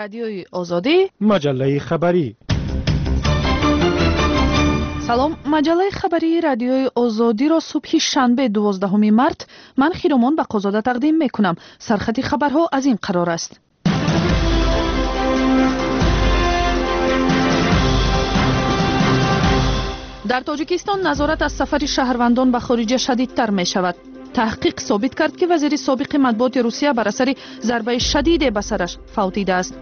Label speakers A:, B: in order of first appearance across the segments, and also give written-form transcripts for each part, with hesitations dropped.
A: Радиои Озодӣ,
B: маҷаллаи хабарӣ.
A: Салом, маҷаллаи хабарии Радиои Озодиро субҳи шанбе 12 март ман Хиромон Бақозода тақдим мекунам. Сархати хабарҳо аз ин қарор аст. Дар Тоҷикистон назорат аз сафари шаҳрвандон ба хориҷа шадидтар мешавад. Таҳқиқ собит кард, ки вазири собиқи матбуоти Русия бар асари зарбаи шадиде ба сараш фавтидааст.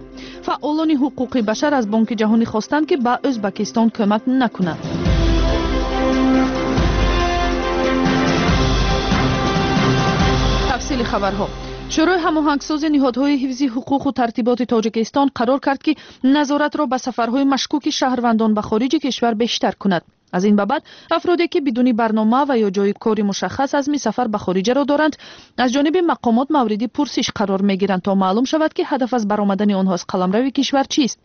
A: Фаъолони ҳуқуқи башар аз Бонки Ҷаҳонӣ хостанд, ки ба Ӯзбакистон кӯмак накунад. Тафсили хабарҳо. Шӯрои ҳамоҳангсози ниҳодҳои ҳифзи ҳуқуқу тартиботи Тоҷикистон қарор кард, ки назоратро ба сафарҳои машкуки шаҳрвандон ба хориҷи кишвар бештар кунад. Аз ин ба баъд афроде, ки бидуни барнома ва ё ҷои кори мушаххас азми сафар ба хориҷаро доранд, аз ҷониби мақомот мавриди пурсиш қарор мегиранд, то маълум шавад, ки ҳадаф аз баромадани онҳо аз қаламрави кишвар чист.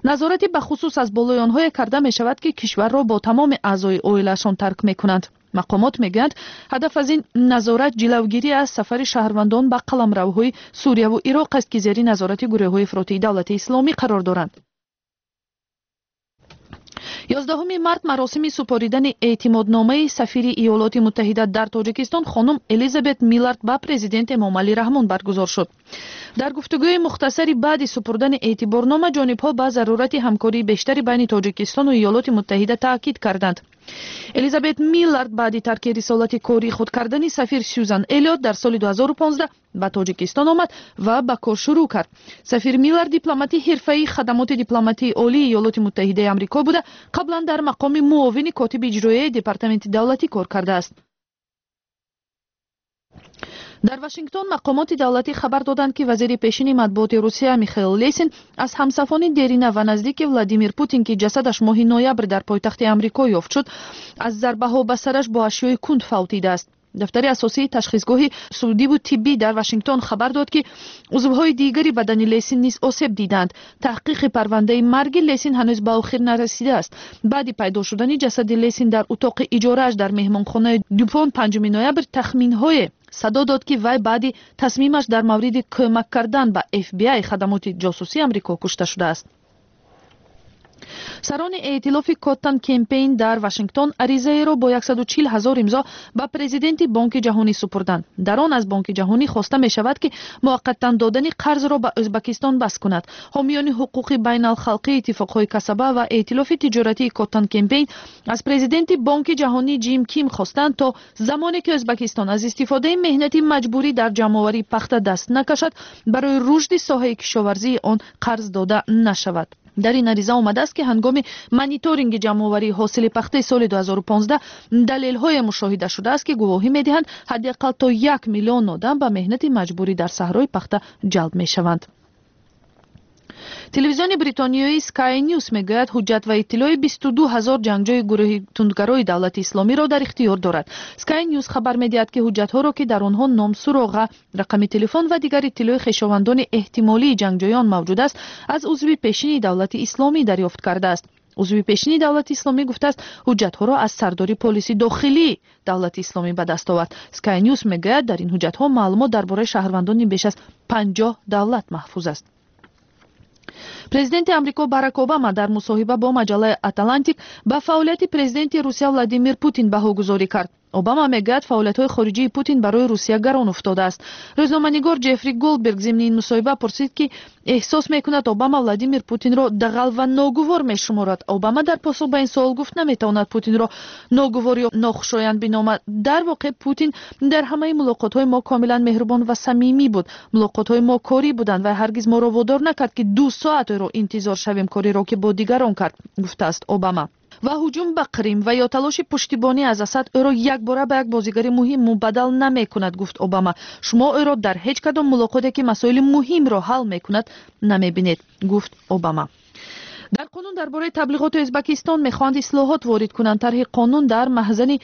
A: Назорати бахусус аз болои онҳое карда мешавад, ки кишварро бо тамоми аъзои оилаашон тарк мекунанд. Мақомот мегӯянд, ҳадаф аз ин назорат ҷилавгирӣ аз сафари шаҳрвандон ба қаламравҳои Сурияву Ироқ аст, ки зери назорати гурӯҳҳои ифротии Давлати Исломӣ қарор доранд. 11 март маросими супоридани эътимодномаи сафири Иёлоти Муттаҳида дар Тоҷикистон хонум Элизабет Миллард ба президент Эмомалӣ Раҳмон баргузор шуд. Дар гуфтугӯи мухтасари баъди супурдани эътиборнома ҷонибҳо ба зарурати ҳамкории бештари байни Тоҷикистону Иёлоти Муттаҳида таъкид карданд. Элизабет Миллард баъди тарки рисолати кории худ кардани сафир Сюзан Элиот дар соли 2015 ба Тоҷикистон омад ва ба кор шурӯъ кард. Сафир Миллард дипломати ҳирфаии хадамоти дипломатии олии Иёлоти Муттаҳидаи Амрико буда, қаблан дар мақоми муовини котиби иҷроияи Департаменти давлатӣ кор кардааст. Дар Вашингтон мақомоти давлатӣ хабар доданд, ки вазири пешини матбуоти Русия Михаил Лесин аз ҳамсафони дерина ва наздики Владимир Путин, ки ҷасадаш моҳи ноябр дар пойтахти Амрико ёфт шуд, аз зарбаҳо ба сараш бо ашёи кунд фавтидааст. Дафтари асосии ташхисгоҳи судиву тиббӣ дар Вашингтон хабар дод, ки узвҳои дигари бадани Лесин низ осеб диданд. Таҳқиқи парвандаи марги Лесин ҳанӯз ба охир нарасидааст. Баъди пайдо шудани ҷасади Лесин дар утоқи иҷорааш дар меҳмонхонаи Дюпон 5 ноябр тахминҳое садо дод, ки вай баъди тасмимаш дар мавриди кӯмак кардан ба FBI, хадамоти ҷосусии Амрико, кушта шудааст. Сарони эътилофи Коттон Кемпейн дар Вашингтон аризаеро бо 140 ҳазор имзо ба президенти Бонки Ҷаҳонӣ супурданд. Дар он аз Бонки Ҷаҳонӣ хоста мешавад, ки муваққатан додани қарзро ба Ӯзбакистон бас кунад. Ҳомиёни ҳуқуқи байналхалқии иттифоқҳои касаба ва эътилофи тиҷоратии Коттон Кемпейн аз президенти Бонки Ҷаҳонӣ Ҷим Ким хостанд, то замоне ки Ӯзбакистон аз истифодаи меҳнати маҷбурӣ дар ҷамъоварии пахта даст накашад, барои рушди соҳаи кишоварзии он қарз дода нашавад. Дар ин ариза омадааст, ки ҳангоми мониторинги ҷамъоварии ҳосили пахтаи соли 2015 далелҳое мушоҳида шудааст, ки гувоҳӣ медиҳанд, ҳадди ақал то 1 миллион одам ба меҳнати маҷбурӣ дар саҳрои пахта ҷалб мешаванд. Телевизиони бритониёи Sky News мегӯяд, ҳуҷҷат ва иттилои 22 ҳазор ҷангҷӯи гурӯҳи тундгарои Давлати Исломиро дар ихтиёр дорад. Sky News хабар медиҳад, ки ҳуҷҷатҳоро, ки дар онҳо ном, суроға, рақами телефон ва дигар иттилои хешовандони эҳтимолии ҷангҷӯён мавҷуд аст, аз узви пешини Давлати Исломӣ дарёфт кардааст. Узви пешини Давлати Исломӣ гуфтааст, ҳуҷҷатҳоро аз сардори полиси дохилии Давлати Исломӣ ба даст овард. Sky News мегӯяд, дар ин ҳуҷҷатҳо маълумот дар бораи шаҳрвандони беш аз 50 давлат маҳфуз аст. Президенти Амрико Барак Обама дар мусоҳиба бо маҷаллаи Атлантик ба фаъолияти президенти Русия Владимир Путин баҳогузорӣ кард. Обама мегӯяд, фаъолиятҳои хориҷии Путин барои Русия гарон уфтодааст. Рӯзноманигор Ҷеффри Голдберг зимни ин мусоҳиба пурсид, ки эҳсос мекунад, Обама Владимир Путинро дағал ва ногувор мешуморад. Обама дар посух ба ин суол гуфт, наметавонад Путинро ногувор ё нохушоянд биномад. Дар воқеъ Путин дар ҳамаи мулоқотҳои мо комилан меҳрубон ва самимӣ буд. Мулоқотҳои мо корӣ буданд ва ҳаргиз моро водор накард, ки 2 соат ӯро интизор шавем, кореро ки бо дигарон кард, гуфтааст Обама. Ва ҳуҷум ба Қрим ва ё талоши пуштибонӣ аз Асад ӯро якбора ба як бозигари муҳим мубаддал намекунад, гуфт Обама. Шумо ӯро дар ҳеҷ кадом мулоқоте, ки масоили муҳимро ҳал мекунад, намебинед, гуфт Обама. Дар қонун дар бораи таблиғоти Ӯзбекистон мехоҳанд ислоҳот ворид кунанд. Тарҳи қонун дар маҳзани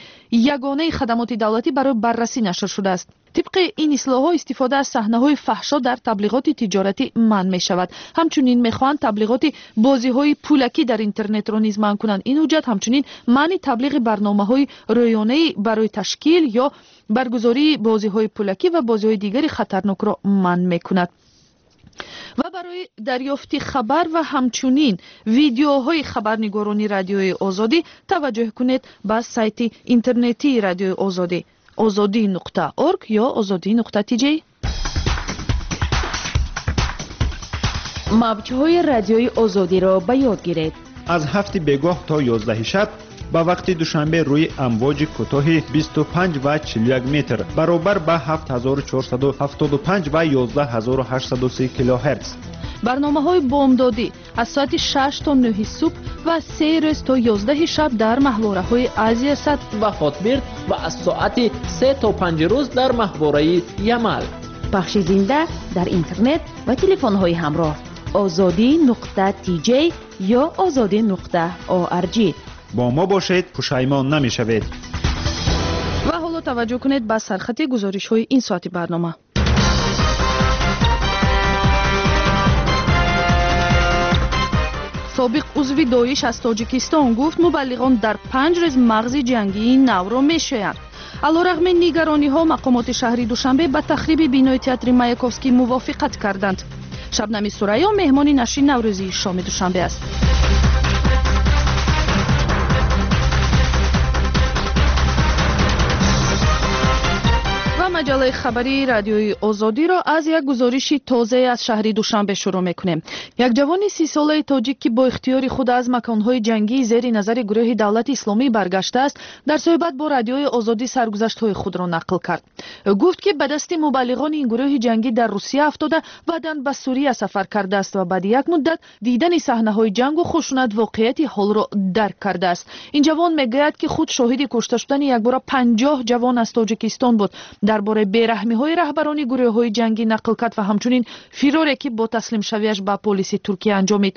A: ягонаи хадамоти давлатӣ барои баррасӣ нашр шудааст. Тибқи ин ислоҳҳо истифода аз саҳнаҳои фаҳшо дар таблиғоти тиҷоратӣ манъ мешавад. Ҳамчунин мехоҳанд таблиғоти бозиҳои пулакӣ дар интернетро низ манъ кунанд. Ин ҳуҷҷат ҳамчунин манъи таблиғи барномаҳои рӯёнаӣ барои ташкил ё баргузории бозиҳои пулакӣ ва бозиҳои дигари хатарнокро манъ мекунад. Ва барои дарёфти хабар ва ҳамчунин видеоҳои хабарнигорони Радиои Озодӣ таваҷҷӯҳ кунед ба сайти интернетии Радиои Озодӣ ozodi.org ё ozodi.tj.
B: Мавҷҳои Радиои Озодиро ба ёд гиред.
C: Аз 7 бегоҳ то 11 шаб ба вақти Душанбе рӯи амвоҷи кӯтоҳи 25 ва 41 метр баробар ба 7475 ва 11830 килогерц.
A: Барномаҳои бомдодӣ аз соати 6 то 9 субҳ ва 3 рӯз то 11 шаб дар маҳвораҳои Азиясат
D: ва Хотбирд ва аз соати 3 то 5 рӯз дар маҳвораи Ямал.
B: Пахши зинда дар интернет ва телефонҳои ҳамроҳ ozodi.tj ё ozodi.org.
C: Бо мо бошед, пушаймон намешавед.
A: Ва ҳоло таваҷҷӯҳ кунед ба сархати гузоришҳои ин соати барнома. Собиқ узви Доиш аз Тоҷикистон гуфт, мубаллиғон дар 5 рӯз мағзи ҷангии навро мешоянд. Алорағми нигарониҳо, мақомоти шаҳри Душанбе ба тахриби бинои театри Маяковский мувофиқат карданд. Шабнами Сурайё меҳмони нашри наврӯзии шоми Душанбе аст. Маҷаллаи хабарии Радиои Озодиро аз як гузориши тозае аз шаҳри Душанбе шурӯъ мекунем. Як ҷавони 30-солаи тоҷик, ки бо ихтиёри худ аз маконҳои ҷангии зери назари гурӯҳи Давлати Исломӣ баргаштааст, дар суҳбат бо Радиои Озодӣ саргузаштҳои худро нақл кард. Ӯ гуфт, ки ба дасти мубаллиғони ин гурӯҳи ҷангӣ дар Русия афтода, баъдан ба Сурия сафар кардааст ва баъди як муддат дидани саҳнаҳои ҷангу хушунат воқеияти ҳолро дарк кардааст. Ин ҷавон мегӯяд, ки худ шоҳиди кушта шудани якбора 50 ҷавон аз Тоҷикистон буд. Дар бораи бераҳмиҳои раҳбарони гурӯҳҳои ҷангӣ нақл кард ва ҳамчунин фироре, ки бо таслимшавиаш ба полиси Туркия анҷомид.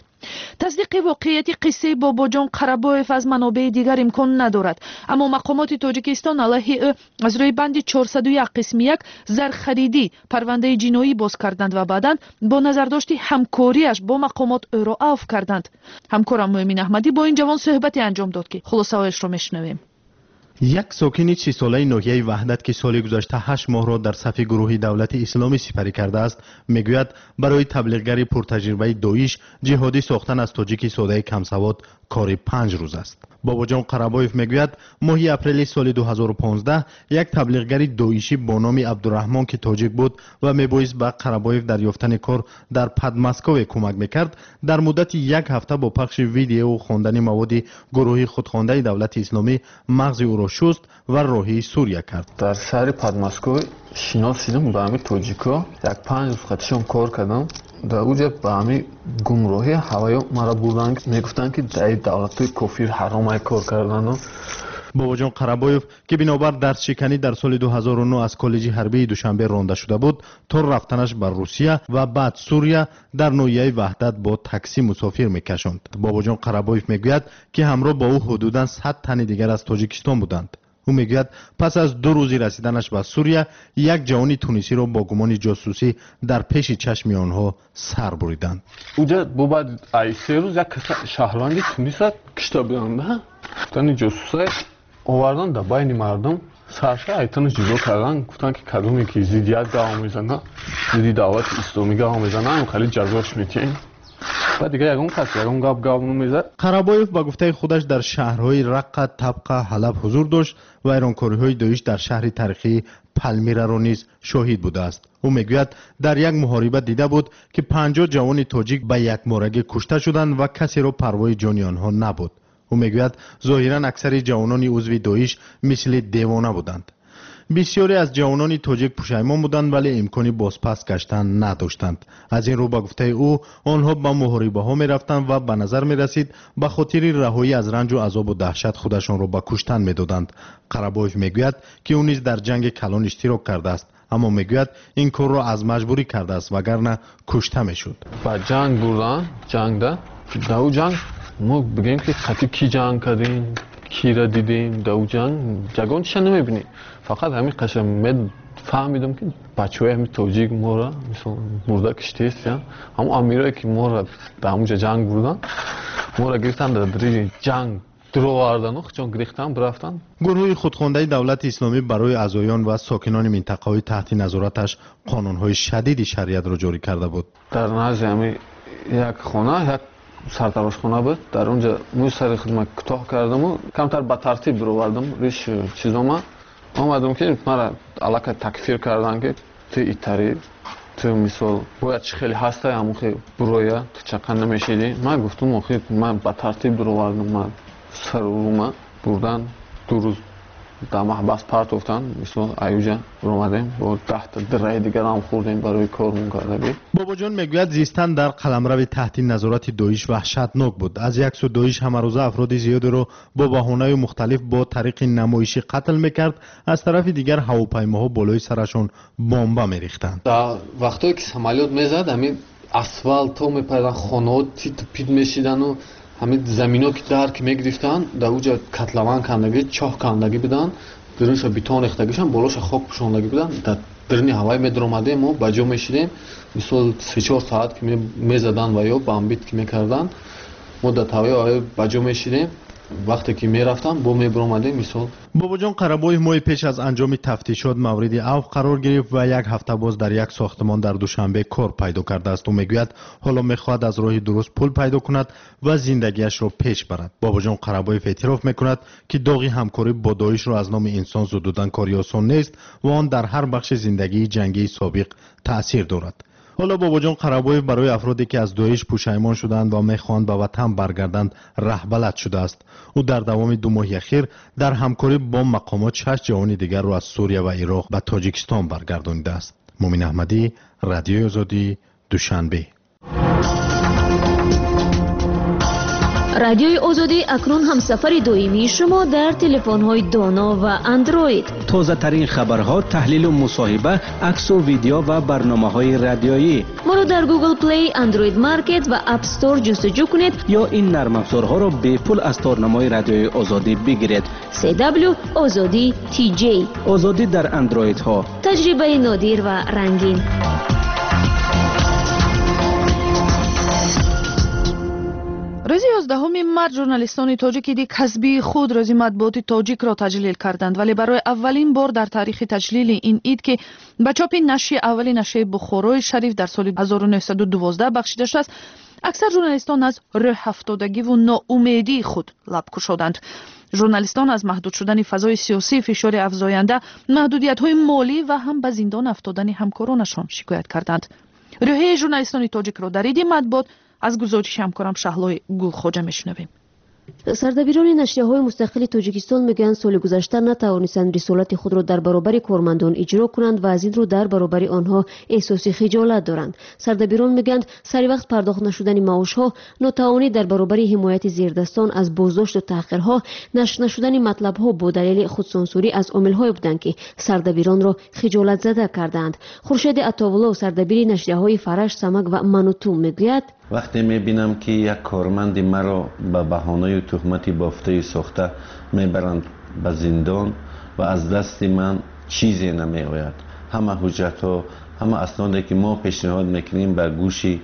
A: Тасдиқи воқеияти қиссаи Бобоҷон Қарабоев аз манобеи дигар имкон надорад, аммо мақомоти Тоҷикистон алайҳи ӯ аз рӯи банди 401 қисми 1 зархаридӣ парвандаи ҷиноӣ боз карданд ва баъдан бо назардошти ҳамкориаш бо мақомот ӯро авф карданд. Ҳамкорам Муъмин Аҳмадӣ бо ин ҷавон суҳбате анҷом дод, ки хулосаҳояшро мешунавем.
E: Як сокини 30-солаи ноҳияи Ваҳдат, ки соли гузашта 8 моҳро дар сафи гурӯҳи Давлати Исломӣ сипарӣ кардааст, мегӯяд, барои таблиғгари пуртаҷрибаи Доиш ҷиҳодӣ сохтан аз тоҷики содаи камсавод кори 5 рӯз аст. Бобоҷон Қарабоев мегӯяд, моҳи апрели соли 2015 як таблиғгари доишӣ бо номи Абдураҳмон, ки тоҷик буд ва мебоист ба Қарабоев дар ёфтани кор дар Подмоскове кӯмак мекард, дар муддати як ҳафта бо пахши видеову хондани маводи гурӯҳи худхондаи Давлати Исломӣ мағзи ӯро шуст ва роҳии Сурия кард.
F: Дар шаҳри Подмоскове шинос шудам ба ҳамин тоҷико, як 5 рӯз қатишон кор кардам. Дар уҷа ба ҳамин гумроҳӣ ҳаваё маро бурданд, мегуфтанд, ки дар давлатҳои кофир ҳаромай кор кардану.
E: Бобоҷон Қарабоев, ки бинобар дарсшиканӣ дар соли 2009 аз коллеҷи ҳарбии Душанбе ронда шуда буд, то рафтанаш ба Русия ва баъд Сурия дар ноҳияи Ваҳдат бо таксӣ мусофир мекашонд. Бобоҷон Қарабоев мегӯяд, ки ҳамроҳ бо ӯ ҳудудан 100 тани дигар аз Тоҷикистон буданд. Ӯ мегӯяд, пас аз 2 рӯзи расиданаш ба Сурия як ҷавони тунисиро бо гумони ҷосусӣ дар пеши чашми онҳо сар буриданд.
F: Уҷа бо баъд ай 3 рӯз як шаҳрванди Туниса кишта буданд. Гуфтани ҷосуса овардан дар байни мардум, сарша айтану ҷудо кардан, гуфтанд, ки кадоме ки зиддият гав мезана, зидди Давлати Исломӣ гав мезана, хеле ҷазош метиҳем. Баъд дигар ягон кас ягон гап гав намезад.
E: Қарабоев ба гуфтаи худаш дар шаҳрҳои Раққа, Табқа, Ҳалаб ҳузур дошт ва вайронкориҳои Доиш дар шаҳри таърихии Палмираро низ шоҳид будааст. Ӯ мегӯяд, дар як муҳориба дида буд, ки 50 ҷавони тоҷик ба якморагӣ кушта шуданд ва касеро парвои ҷони онҳо набуд. Ӯ мегӯяд, зоҳиран аксари ҷавонони узви Доиш мисли девона буданд. Бисёре аз ҷавонони тоҷик пушаймон буданд, вале имкони бозпас гаштан надоштанд. Аз ин рӯ, ба гуфтаи ӯ, онҳо ба муҳорибаҳо мерафтанд ва ба назар мерасид, ба хотири раҳоӣ аз ранҷу азобу даҳшат худашонро ба куштан медоданд. Қарабоев мегӯяд, ки ӯ низ дар ҷанги калон иштирок кардааст, аммо мегӯяд, ин корро аз маҷбурӣ кардааст, вагарна кушта мешуд.
F: Ба ҷанг бурдан, ҷангда, дар ӯ ҷанг мо бигӯем, ки қатъи кӣ ҷанг кардем, кира дидем, дар ӯ ҷанг ягон чиша намебинем. Фақат ҳамин қаша фаҳмидам, ки бачаҳои ҳамин тоҷик моро мисол мурда киштест. Ҳамон амирое, ки моро дар ҳамонҷа ҷанг бурдан, моро гирифтан дар дариҷи ҷанг Дуровардану хучон гирифтан бирафтан.
E: Гурӯҳи худхондаи Давлати Исломӣ барои аъзоён ва сокинони минтақаҳои таҳти назораташ қонунҳои шадиди шариатро ҷорӣ карда буд.
F: Дар назди ҳами як хона, як сартарошхона буд. Дар онҷа мӯи сари худма кӯтоҳ кардаму камтар ба тартиб дуровардам риш чизома. Омадам ки мара аллакай такфир кардан ки ту итари, ту мисол бояд чӣ хеле ҳастай, ҳамон хел буроя, ту чақа намешидӣ. Ман гуфтам охир ман ба тартиб дуровардам, ман сару бурдан 2 рӯз дар маҳбас партофтан. Мисол аюҷа омадем бо 10 дираи дигарам хӯрдем барои кормон кардагӣ.
E: Бобоҷон мегӯяд зистан дар қаламрави таҳти назорати Доиш ваҳшатнок буд. Аз як сӯ Доиш ҳамарӯза афроди зиёдеро бо баҳонаи мухталиф бо тариқи намоишӣ қатл мекард, аз тарафи дигар ҳавопаймоҳо болои сарашон бомба мерихтанд.
F: Дар вақтое ки самолёт мезад, ҳамин асфалтҳо мепаридан, хонаҳо титу пит мешидану ҳамин замино ки дар ки мегирифтанд, дар уҷа котлован кандагӣ, чоҳ кандагӣ буданд, дурунша бетон рехтагишан, болоша хок пӯшондагӣ буданд. Дар даруни ҳавай медаромадем, мо ба ҷо мешидем. Мисол 3-4 соат ки мезаданд ва ё бомбит ки мекарданд, мо дар таваи ба ҷо мешидем. Вақте ки мерафтам, бо мебаромадем. Мисол
E: Бобоҷон Қарабоев моҳи пеш аз анҷоми тафтишот мавриди авф қарор гирифт ва як ҳафта боз дар як сохтмон дар Душанбе кор пайдо кардааст. Ӯ мегӯяд ҳоло мехоҳад аз роҳи дуруст пул пайдо кунад ва зиндагиашро пеш барад. Бобоҷон Қарабоев эътироф мекунад, ки доғи ҳамкорӣ бо Доишро аз номи инсон зудудан кори осон нест ва он дар ҳар бахши зиндагии ҷангии собиқ таъсир дорад. Ҳоло Бобоҷон Қарабоев барои афроде ки аз Доиш пушаймон шуданд ва мехоҳанд ба ватан баргарданд раҳбалад шудааст. Ӯ дар давоми 2 моҳи ахир дар ҳамкорӣ бо мақомот 6 ҷавони дигарро аз Сурия ва Ироқ ба Тоҷикистон баргардонидааст. Мумин Аҳмадӣ, Радиои Озодӣ, Душанбе.
G: Радиои Озодӣ акнун ҳамсафари доимии шумо дар телефонҳои доно ва андроид.
H: Тозатарин хабарҳо, таҳлилу мусоҳиба, аксу видео ва барномаҳои радиоӣ.
G: Моро дар Google Play, Android Market ва App Store ҷустуҷӯ кунед
H: ё ин нармафзорҳоро бепул аз торнамои Радиои Озодӣ бигиред.
G: CW Озодӣ TJ.
H: Озодӣ дар андроидҳо.
G: Таҷрибаи нодир ва рангин.
A: Рӯзи 11 март журналистони тоҷик иди касбии худ рӯзи матбуоти тоҷикро таҷлил карданд, вале барои аввалин бор дар таърихи таҷлили ин ид, ки ба чопи нашри аввали нашрияи Бухорои Шариф дар соли 1912 бахшида шудааст, аксар журналистон аз рӯҳафтодагиву ноумедии худ лаб кушоданд. Журналистон аз маҳдуд шудани фазои сиёсӣ, фишори афзоянда, маҳдудиятҳои молӣ ва ҳам ба зиндон афтодани ҳамкоронашон шикоят карданд. Рӯҳияи журналистони тоҷикро дар иди матбуот аз гузориши ҳамкорам Шаҳлои Гулхоҷа мешунавем.
G: Сардабирони нашрияҳои мустақили Тоҷикистон мегӯянд соли гузашта натавонистанд рисолати худро дар баробари кормандон иҷро кунанд ва аз ин рӯ дар баробари онҳо эҳсоси хиҷолат доранд. Сардабирон мегӯянд сари вақт пардохт нашудани маошҳо, нотавонӣ дар баробари ҳимояти зердастон аз боздошту таҳқирҳо, нашр нашудани матлабҳо бо далели худсонсурӣ аз омилҳое буданд, ки сардабиронро хиҷолатзада кардаанд. Хуршеди Атовуллов, сардабири нашрияҳои Фараш, Самак ва Мануту мегӯяд:
I: вақте мебинам ки як корманди маро ба баҳонаю туҳмати бофтаю сохта мебаранд ба зиндон ва аз дасти ман чизе намеояд, ҳама ҳуҷҷатҳо, ҳама асноде ки мо пешниҳод мекунем ба гӯши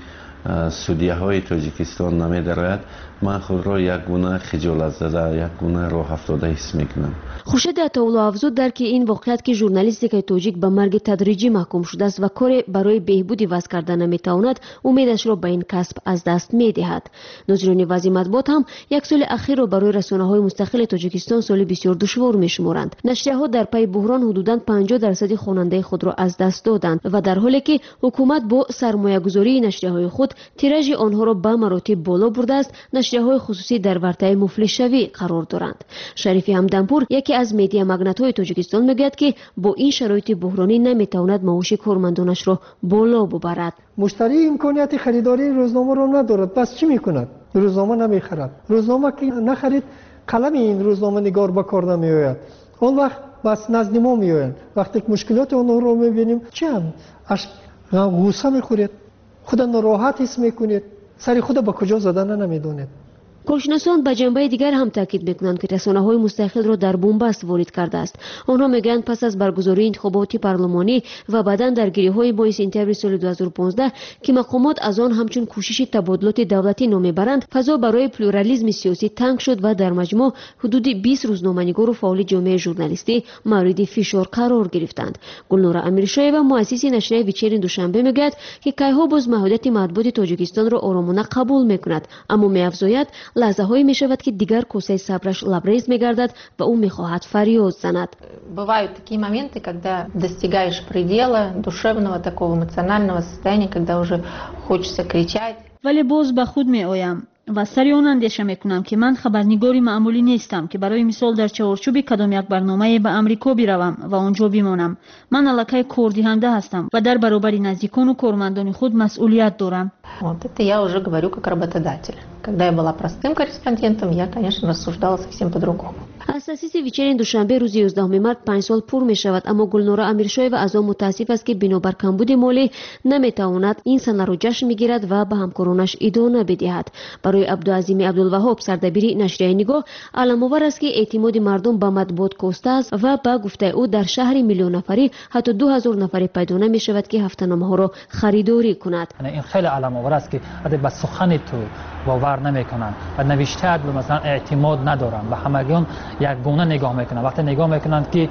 I: судияҳои Тоҷикистон намедарояд, ман худро як гуна хиҷолатзада, як гуна роҳафтода ҳис мекунам.
G: Хуршеди Атовулло афзуд дар ки ин воқеат ки журналистикаи тоҷик ба марги тадриҷӣ маҳкум шудааст ва коре барои беҳбуди вазъ карда наметавонад, умедашро ба ин касб аз даст медиҳад. Нозирони вазъи матбуот ҳам як соли ахирро барои расонаҳои мустақили Тоҷикистон соли бисёр душвор мешуморанд. Нашрияҳо дар пайи буҳрон ҳудудан 50% хонандаи худро аз даст доданд ва дар ҳоле ки ҳукумат бо сармоягузории нашрияҳои худ тиражи онҳоро ба маротиб боло бурдааст, нашрияҳои хусусӣ дар вартаи муфлисшавӣ қарор доранд. Шарифи Ҳамдампур, яке аз медиамагнатҳои Тоҷикистон, мегӯяд, ки бо ин шароити буҳронӣ наметавонад маоши кормандонашро боло бубарад.
J: Муштарӣ имконияти харидории рӯзномаро надорад, пас чӣ мекунад? Рӯзнома намехарад. Рӯзнома ки нахарид, қалами ин рӯзноманигор ба кор намеояд. Он вақт бас назди мо меоянд. Вақте ки мушкилоти онҳоро мебинем, чӣ ҳам ғусса мехӯред, худа нороҳат ҳис мекунед, сари худа ба куҷо задана намедонед.
G: Коршиносон ба ҷанбаи дигар ҳам таъкид мекунанд, ки расонаҳои мустақилро дар бунбаст ворид кардааст. Онҳо мегӯянд, пас аз баргузории интихоботи парлумонӣ ва баъдан даргириҳои моҳи сентябри соли 2015, ки мақомот аз он ҳамчун кӯшиши табодулоти давлатӣ ном мебаранд, фазо барои плюрализми сиёсӣ танг шуд ва дар маҷмӯъ ҳудуди 20 рӯзноманигору фаъоли ҷомеаи журналистӣ мавриди фишор қарор гирифтанд. Гулнора Амиршоева, муассиси нашрияи «Вечерний Душанбе», мегӯяд, ки кайҳо боз маҳдудияти матбуоти Тоҷикистонро оромона қабул мекунад, аммо меафзояд, лаҳзаҳое мешавад, ки дигар косаи сабраш лабрез мегардад ва ӯ мехоҳад фарёд занад.
K: Бывают такие моменты, когда достигаешь предела душевного, такого эмоционального состояния, когда уже хочется кричать.
L: Вале боз ба худ меоям ва сари он андеша мекунам, ки ман хабарнигори маъмулӣ нестам, ки барои мисол дар чаҳорчӯби кадом як барномае ба Амрико биравам ва он ҷо бимонам. Ман аллакай кордиҳанда ҳастам ва дар баробари наздикону кормандони худ масъулият дорам.
K: Вот это я уже говорю как работодатель. Когда я была простым корреспондентом, я, конечно, рассуждала совсем по-другому.
G: Аз таъсиси «Вечерний Душанбе» рӯзи 11 март 5 сол пур мешавад, аммо Гулнора Амиршоева аз он мутаассиф аст, ки бинобар камбуди молӣ наметавонад ин санаро ҷашн бигирад ва ба ҳамкоронаш идона бидиҳад. Барои Абдуазими Абдулваҳоб, сардабири нашрияи «Нигоҳ», аламовар аст, ки эътимоди мардум ба матбуот костааст ва ба гуфтаи ӯ, дар шаҳри миллионнафарӣ ҳатто 2000 нафаре пайдо намешавад, ки ҳафтаномаҳоро харидорӣ кунад.
M: Ин хеле аламовар аст, ки ба сухани ту бовар намекунанд ва навиштаат масалан эътимод надоранд, ба ҳамагон якгуна нигоҳ мекунанд. Вақте нигоҳ мекунанд, ки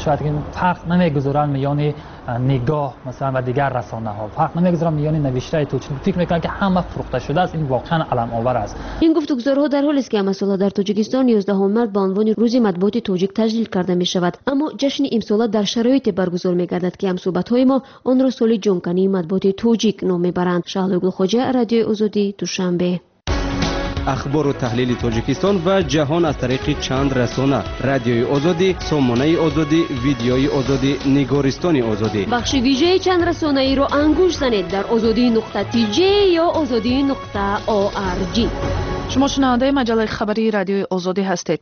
M: шояд фарқ намегузоранд миёни «Нигоҳ» масалан ва дигар расонаҳо, фарқ намегузоранд миёни навиштаи ту, фикр мекунанд, ки ҳама фурӯхта шудааст. Ин воқеан аламовар аст.
G: Ин гуфтугузорҳо дар ҳолест, ки ҳамасола дар Тоҷикистон 11 март ба унвони Рӯзи матбуоти тоҷик таҷлил карда мешавад, аммо ҷашни имсола дар шароите баргузор мегардад, ки ҳамсӯҳбатҳои мо онро соли ҷонкании матбуоти тоҷик ном мебаранд. Шаҳлои Гулхоҷа, Радиои Озодӣ, Душанбе.
H: Ахбору таҳлили Тоҷикистон ва ҷаҳон аз тариқи чанд расона: Радиои Озодӣ, Сомонаи Озодӣ, Видеои Озодӣ, Нигористони Озодӣ.
G: Бахши вижаи чанд расонаиро ангушт занед дар озодӣ.тj ё озодӣ.org.
A: Шумо шунавандаи маҷаллаи хабарии Радиои Озодӣ ҳастед.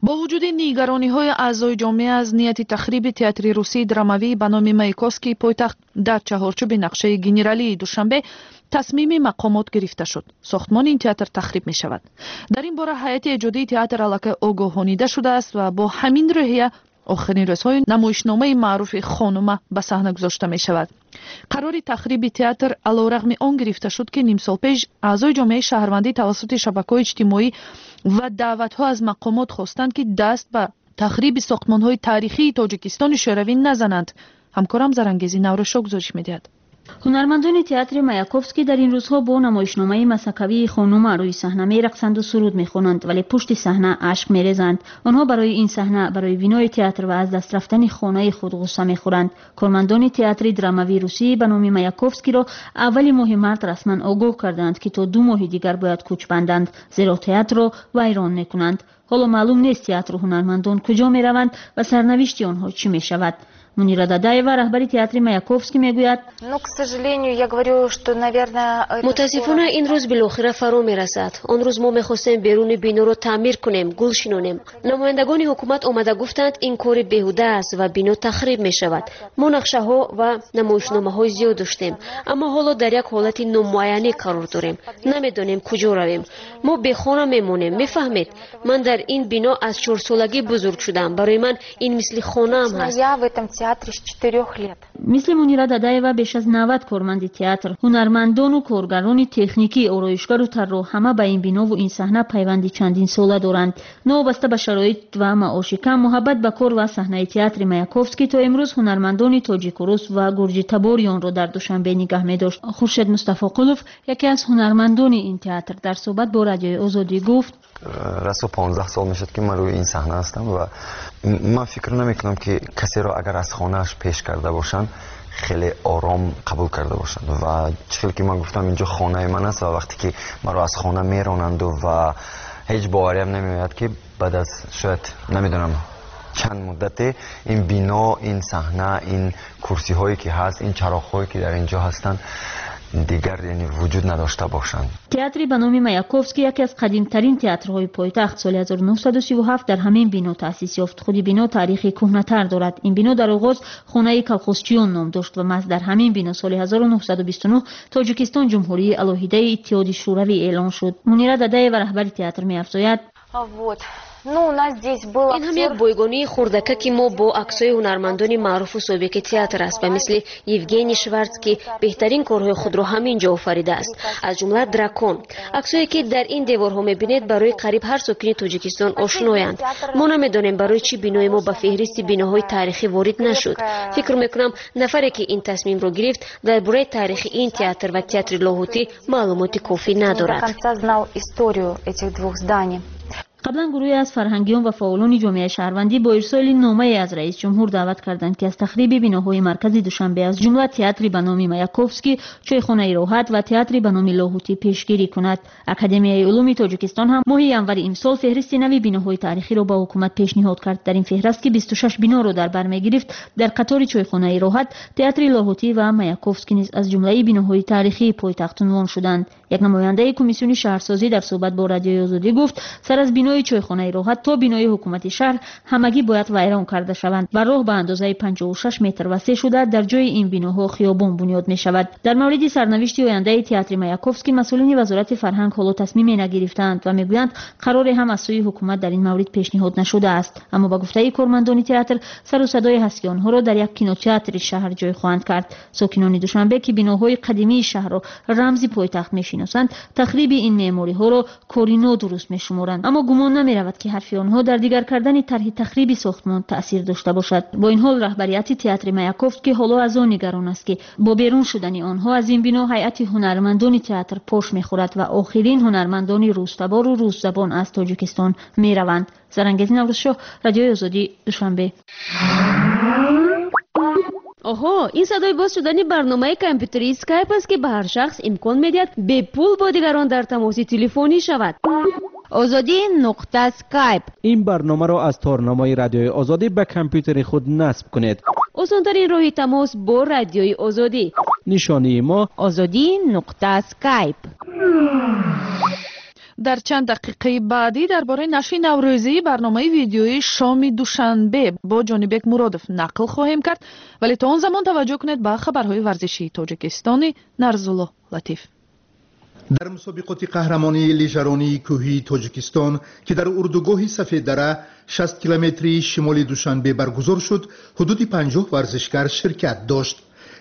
A: Бо вуҷуди нигарониҳои аъзои ҷомеа аз нияти тахриби театри русии драмавӣ ба номи Маяковскии пойтахт дар чаҳорчӯби нақшаи генералии Душанбе, тасмими мақомот гирифта шуд: сохтмони ин театр тахриб мешавад. Дар ин бора ҳайати эҷодии театр аллакай огоҳонида шудааст ва бо ҳамин рӯҳия охирин рӯзҳои намоишномаи маъруфи «Хонума» ба саҳна гузошта мешавад. Қарори тахриби театр алорағми он гирифта шуд, ки нимсол пеш аъзои ҷомеаи шаҳрвандӣ тавассути шабакаҳои иҷтимоӣ ва даъватҳо аз мақомот хостанд, ки даст ба тахриби сохтмонҳои таърихии Тоҷикистони Шӯравӣ назананд. Ҳамкорам Зарангези Наврӯзшо гузориш медиҳад.
L: Ҳунармандони театри Маяковский дар ин рӯзҳо бо намоишномаи масхакавии «Хонума» рӯи саҳна мерақсанду суруд мехонанд, вале пушти саҳна ашк мерезанд. Онҳо барои ин саҳна, барои бинои театр ва аз даст рафтани хонаи худ ғусса мехӯранд. Кормандони театри драмавии русӣ ба номи Маяковскиро аввали моҳи март расман огоҳ карданд, ки то 2 моҳи дигар бояд кӯч банданд, зеро театрро вайрон мекунанд. Ҳоло маълум нест, театру ҳунармандон куҷо мераванд ва сарнавишти онҳо чӣ мешавад. Мунира Дадаева, раҳбари театри Маяковский, мегӯяд:
N: Ну, к сожалению, я говорю, что, наверное.
G: Мутаассифона, ин рӯз билохира фаро мерасад. Он рӯз мо мехостем беруни биноро таъмир кунем, гул шинонем. Намояндагони ҳукумат омада гуфтанд, ин кори беҳуда аст ва бино тахриб мешавад. Мо нақшаҳо ва намоишномаҳои зиёд доштем, аммо ҳоло дар як ҳолати номуайянӣ қарор дорем, намедонем куҷо равем. Мо бехона мемонем, мефаҳмед? Ман дар ин бино аз чорсолагӣ бузург шудам, барои ман ин мисли хонаам ҳаст.
N: Я в этом театре с 4 лет.
L: Мисли Мунира Дадаева беш аз 90 корманди театр, ҳунармандону коргарони техникӣ, ороишгару тарроҳ ҳама ба ин бинову ин саҳна пайванди чандинсола доранд. Новобаста ба шароит ва маоши кам, муҳаббат ба кор ва саҳнаи театри Маяковский то имрӯз ҳунармандони тоҷику рус ва гурҷитабори онро дар Душанбе нигаҳ медошт. Хуршед Мустафоқулов, яке аз ҳунармандони ин театр, дар суҳбат бо Радиои Озодӣ гуфт:
O: Расо 15 сол мешуд, ки ман рӯи ин саҳна ҳастам ва ман фикр намекунам, ки касеро агар аз хонааш пеш карда бошанд, хеле ором қабул карда бошанд. Ва чӣ хел ки ман гуфтам, инҷо хонаи ман аст ва вақте ки маро аз хона меронанду ва ҳеҷ бовариам намеояд, ки баъд аз шояд намедонам чанд муддате ин бино, ин саҳна, ин курсиҳое ки ҳаст, ин чароғҳое ки дар инҷо ҳастанд. Дигар, яъне, вуҷуд надошта бошанд.
L: Театри ба номи Маяковский яке аз қадимтарин театрҳои пойтахт, соли 1937 дар ҳамин бино таъсис ёфт. Худи бино таърихи кӯҳнатар дорад. Ин бино дар оғоз хонаи колхозчиён ном дошт ва маҳз дар ҳамин бино соли 1929 Тоҷикистон ҷумҳурии алоҳидаи Иттиҳоди Шӯравӣ эълон шуд. Мунира Дадаева, раҳбари театр, меафзояд:
N: Вот. Ну, у нас здесь был
G: Ин ҳам як бойгонии хурдакаки мо бо аксҳои ҳунармандони маъруфу собиқи театр аст, ба мисли Евгений Шварц, ки беҳтарин корҳои худро ҳамин ҷо офаридааст, аз ҷумла «Дракон». Аксҳое, ки дар ин деворҳо мебинед, барои қариб ҳар сокини Тоҷикистон ошноянд. Мо намедонем, барои чӣ бинои мо ба феҳристи биноҳои таърихӣ ворид нашуд. Фикр мекунам, нафаре, ки ин тасмимро гирифт, дар бораи таърихи ин театр ва театри Лоҳутӣ маълумоти кофӣ надорад.
N: Конца знал историю этих двух зданий.
L: Қаблан гурӯҳе аз фарҳангиён ва фаъолони ҷомеаи шаҳрвандӣ бо ирсоли номае аз раис ҷумҳур даъват карданд, ки аз тахриби биноҳои маркази Душанбе, аз ҷумла театри ба номи Маяковский, чойхонаи Роҳат ва театри ба номи Лоҳутӣ пешгирӣ кунад. Академияи улуми Тоҷикистон ҳам моҳи январи имсол феҳристи нави биноҳои таърихиро ба ҳукумат пешниҳод кард. Дар ин феҳраст, ки 26 биноро дар бар мегирифт, дар қатори чойхонаи Роҳат, театри Лоҳутӣ ва Маяковский низ аз ҷумлаи биноҳои таърихии пойтахт унвон шуданд. Як намояндаи комиссиони шаҳрсозӣ дар суҳбат бо Радиои Озодӣ гуфт, сар аз бинои чойхонаи Роҳат то бинои ҳукумати шаҳр ҳамагӣ бояд вайрон карда шаванд ва роҳ ба андозаи 56 метр васеъ шуда, дар ҷои ин биноҳо хиёбон бунёд мешавад. Дар мавриди сарнавишти ояндаи театри Маяковский масъулини Вазорати фарҳанг ҳоло тасмиме нагирифтаанд ва мегӯянд, қароре ҳам аз сӯи ҳукумат дар ин маврид пешниҳод нашудааст. Аммо ба гуфтаи кормандони театр, сару садое ҳаст, ки онҳоро дар як кинотеатри шаҳр ҷой хоҳанд кард. Сокинони Душанбе, ки биноҳои қадимии шаҳрро рамзи пойтахт мешиносанд, тахриби ин меъмориҳоро кори нодуруст мешуморанд. Аммо гумон намеравад, ки ҳарфи онҳо дар дигар кардани тарҳи тахриби сохтмон таъсир дошта бошад. Бо ин ҳол, раҳбарияти театри Маяковский ҳоло аз он нигарон аст, ки бо берун шудани онҳо аз ин бино ҳайати ҳунармандони театр пош мехӯрад ва охирин ҳунармандони рӯстабору рӯсзабон аз Тоҷикистон мераванд. Зарангези Наврӯзшоҳ, Радиои Озодӣ, Душанбе.
G: Оҳо, ин садои боз шудани барномаи компютерии Скайп аст, ки ба ҳар шахс имкон медиҳад бепул бо дигарон дар тамоси телефонӣ шавад.
B: Озодӣ нуқта скайп.
H: Ин барномаро аз торнамои Радиои Озодӣ ба компютери худ насб кунед.
G: Осонтарин роҳи тамос бо Радиои Озодӣ.
H: Нишонии мо:
B: Озодӣ нуқта скайп.
A: Дар чанд дақиқаи баъдӣ дар бораи нашри наврӯзии барномаи видеоии «Шоми Душанбе» бо Ҷонибек Муродов нақл хоҳем кард, вале то он замон таваҷҷӯҳ кунед ба хабарҳои варзишии тоҷикистони Нарзулло Латиф.
E: Дар мусобиқоти қаҳрамонии лижаронии кӯҳии Тоҷикистон, ки дар урдугоҳи Сафеддара, 60 километрии шимоли Душанбе, баргузор шуд, ҳудуди 50 варзишгар ширкат дошт.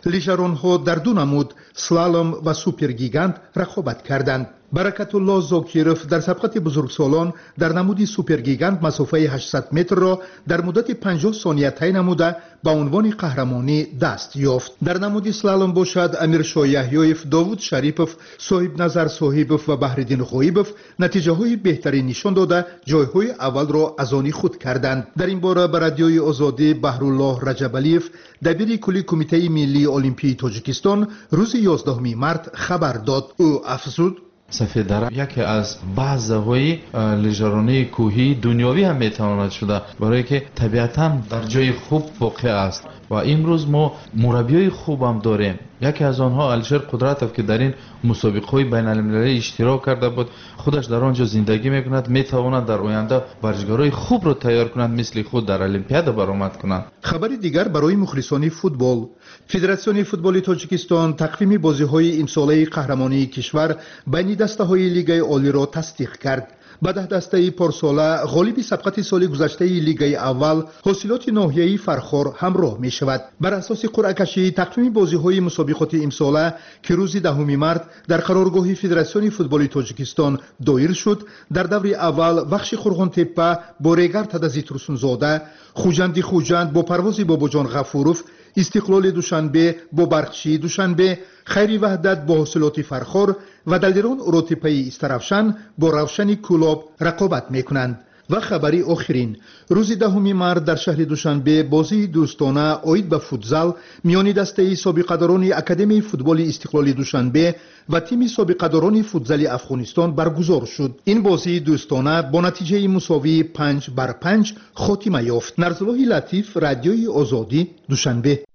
E: Лижаронҳо дар ду намуд, слалом ва супергигант, рақобат карданд. Баракатулло Зокиров дар сабқати бузургсолон дар намуди супергигант масофаи 800 метрро дар муддати 50 сония тай намуда, ба унвони қаҳрамонӣ даст ёфт. Дар намуди слалом бошад, Амиршоҳ Яҳёев, Довуд Шарипов, Соҳибназар Соҳибов ва Баҳриддин Ғоибов натиҷаҳои беҳтарин нишон дода, ҷойҳои аввалро аз они худ карданд. Дар ин бора ба Радиои Озодӣ Баҳруллоҳ Раҷабалиев, дабири кулли Кумитаи миллии олимпии Тоҷикистон, рӯзи 11 март хабар дод. Ӯ афзуд:
P: Сафеддара яке аз базаҳои лижаронии кӯҳии дунёвӣ ҳам метавонад шуда, барое ки табиатан дар ҷои хуб воқеъ аст ва имрӯз мо мураббиёи хубам дорем. Яке аз онҳо Алишер Қудратов, ки дар ин мусобиқаҳои байналмилалӣ иштирок карда буд, худаш дар он ҷо зиндагӣ мекунад, метавонад дар оянда варзишгарои хубро тайёр кунад, мисли худ дар Олимпиада баромад кунанд.
E: Хабари дигар барои мухлисони футбол: Федератсиони футболи Тоҷикистон тақвими бозиҳои имсолаи қаҳрамонии кишвар байни дастаҳои лигаи олиро тасдиқ кард. Ба 10 дастаи порсола ғолиби сабқати соли гузаштаи лигаи аввал, Ҳосилоти ноҳияи Фархор, ҳамроҳ мешавад. Бар асоси қуръакашӣ, тақвими бозиҳои мусобиқоти имсола, ки рӯзи 10 март дар қароргоҳи Федератсиони футболи Тоҷикистон доир шуд, дар даври аввал Вахши Қурғонтеппа бо Регар Тадази Турсунзода, Хуҷанди Хуҷанд бо Парвози Бобоҷон Ғафуров, Истиқлоли Душанбе бо Барқчии Душанбе, Хайри Ваҳдат бо Ҳосилоти Фархор ва Далерон Уротеппаи Истаравшан бо Равшани Кӯлоб рақобат мекунанд. Ва хабари охирин: рӯзи 10 март дар шаҳри Душанбе бозии дӯстона оид ба футзал миёни дастаи собиқадорони Академияи футболи Истиқлоли Душанбе ва тими собиқадорони футзали Афғонистон баргузор шуд. Ин бозии дӯстона бо натиҷаи мусовии 5 бар 5 хотима ёфт. Нарзуллоҳи Латиф, Радиои Озодӣ, Душанбе.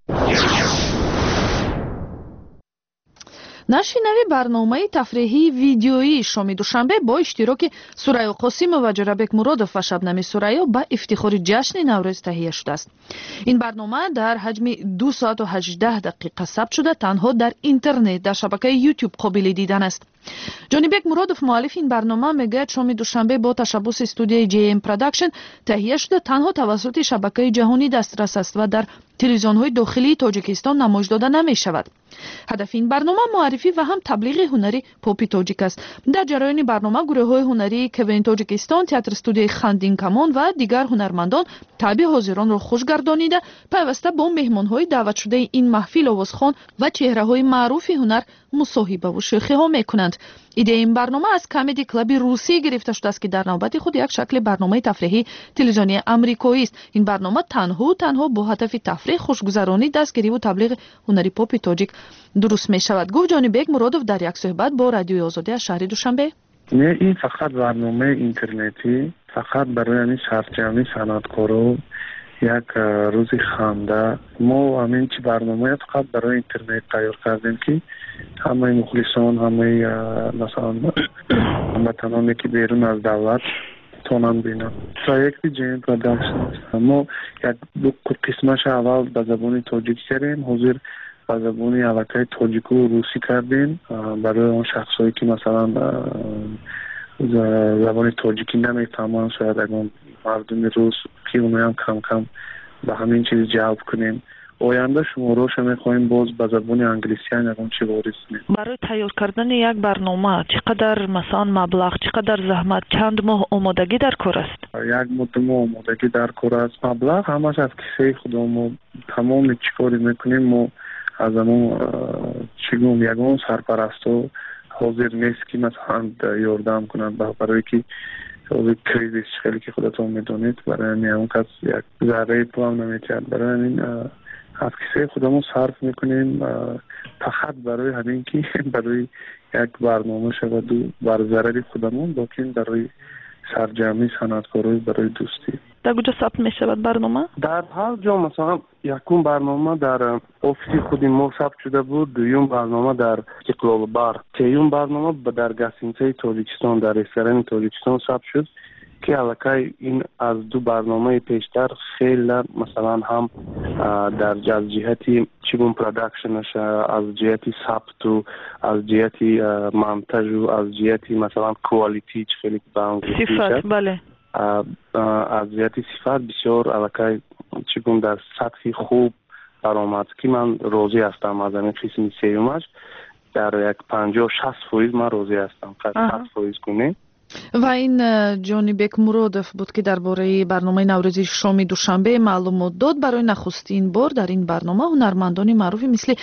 A: Нашри нави барномаи тафреҳии видеоии шоми Душанбе бо иштироки Сурайё Қосимова, Ҷӯрабек Муродов ва Шабнами Сурайё ба ифтихори ҷашни Наврӯз таҳия шудааст. Ин барнома дар ҳаҷми 2 соату 18 дақиқа сабт шуда, танҳо дар интернет дар шабакаи YouTube қобили дидан аст. Ҷонибек Муродов, муаллифи ин барнома, мегӯяд, шоми Душанбе бо ташаббуси студияи JM Production таҳия шуда, танҳо тавассути шабакаи ҷаҳонӣ дастрас аст ва дар телевизионҳои дохилии Тоҷикистон намоиш дода намешавад. Ҳадафи ин барнома муаррифӣ ва ҳам таблиғи ҳунари попи тоҷик аст. Дар ҷараёни барнома гурӯҳҳои ҳунарии КВН Тоҷикистон, театр студияи Хандинкамон ва дигар ҳунармандон таъби ҳозиронро хуш гардонида, пайваста бо меҳмонҳои даъватшудаи ин маҳфил, овозхон ва чеҳраҳои маъруфи ҳунар мусоҳибаву шӯхиҳо мекунанд. Идеяи ин барнома аз Камеди Клаби русӣ гирифта шудааст, ки дар навбати худ як шакли барномаи тафреҳии телевизионии амрикоист. Ин барнома танҳу танҳо бо ҳадафи тафреҳ, хушгузаронӣ, дастгириву таблиғи ҳунари попи тоҷик дуруст мешавад, гуфт Ҷонибек Муродов дар як суҳбат бо Радиои Озодӣ аз шаҳри Душанбе.
Q: Не, ин фақат барномаи интернетӣ, фақат барои ҳамин сарҷамъи санъаткоро, як рӯзи ханда. Мо ҳамин чи барномая фақат барои интернет тайёр кардем, ки ҳамаи мухлисон, ҳамаи, масалан, ҳамватаноне, ки берун аз давлат, тонанд бинанд. Проекти JM Production аст. Мо як ду қисмаша аввал ба забони тоҷикӣ кардем, ҳозир ба забони аллакай тоҷику русӣ кардем, барои он шахсҳое, ки, масалан, забони тоҷикӣ намефаҳманд, шояд ягон мардуми рус, ки оноям кам кам ба ҳамин чиз ҷалб кунем. Оянда шуморошо мехоҳем боз ба забони англисиам ягон чи ворид кунем.
A: Барои тайёр кардани як барнома чӣ қадар, масалан, маблағ, чӣ қадар заҳмат, чанд моҳ омодагӣ дар кор аст?
Q: Як моҳ, 2 моҳ омодагӣ дар кор аст. Маблағ ҳамаш аз кисаи худо. Мо тамоми чӣ коре мекунем, мо аз ҳамон, чӣ гӯм, ягон сарпарасто ҳозир нест, ки, масалан, ёрдам кунад, барое ки ҳозир кризис, хеле ки худатон медонед, барои ҳамин ягон кас як зарраи пулам наметиҳад. Барои ҳамин аз кисаи худамон сарф мекунем, фақат барои ҳамин ки барои як барнома шаваду бар зарари худамон, лекин барои сарҷамъи санъаткорои, барои дӯстӣ.
A: Дар куҷо сабт мешавад барнома?
Q: Дар ҳар ҷо. Масалан, якум барнома дар офиси худи мо сабт шуда буд, дуюм барнома дар Истиқлолбар, сеюм барнома дар гостиницаи Тоҷикистон, дар ресторани Тоҷикистон сабт шуд, ки аллакай ин аз ду барномаи пештар хеле, масалан, ҳам дар аз ҷиҳати, чӣ гӯм, продакшнаша, аз ҷиҳати сабту, аз ҷиҳати монтажу, аз ҷиҳати, масалан, quality, чӣ хеле ба
A: сифат, бале.
Q: Аз ҷиҳати сифат бисёр аллакай, чӣ гӯм, дар сатҳи хуб баромад, ки ман розӣ ҳастам аз ҳамин қисми сеюмаш. Дар як 50-60% ман розӣ ҳастам, 100% кунем.
A: Ва ин Ҷонибек Муродов буд, ки дар бораи барномаи наврӯзи шоми Душанбе маълумот дод. Барои нахустин бор дар ин барнома ҳунармандони маъруфи мисли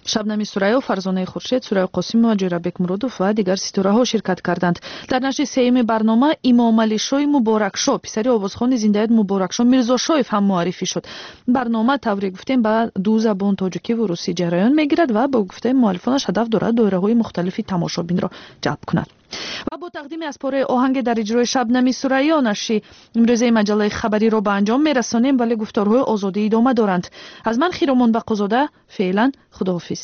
A: Шабнами Сурайё, Фарзонаи Хуршед, Сурайё Қосимова, Ҷӯрабек Муродов ва дигар ситораҳо ширкат карданд. Дар нашри сеюми барнома Имомалишои Муборакшо, писари овозхони зиндаёд Муборакшо Мирзошоев, ҳам муаррифӣ шуд. Барнома, тавре гуфтем, ба ду забон, тоҷикиву русӣ, ҷараён мегирад ва бо гуфтаи муаллифонаш ҳадаф дорад доираҳои мухталифи тамошобинро ҷалб кунад. Ва бо тақдими аз пораи оҳанге дар иҷрои Шабнами Сурайё нашри имрӯзаи маҷаллаи хабариро ба анҷом мерасонем, вале гуфторҳои Озодӣ идома доранд. Аз ман, Хиромон Бақозода, феълан худоҳофиз.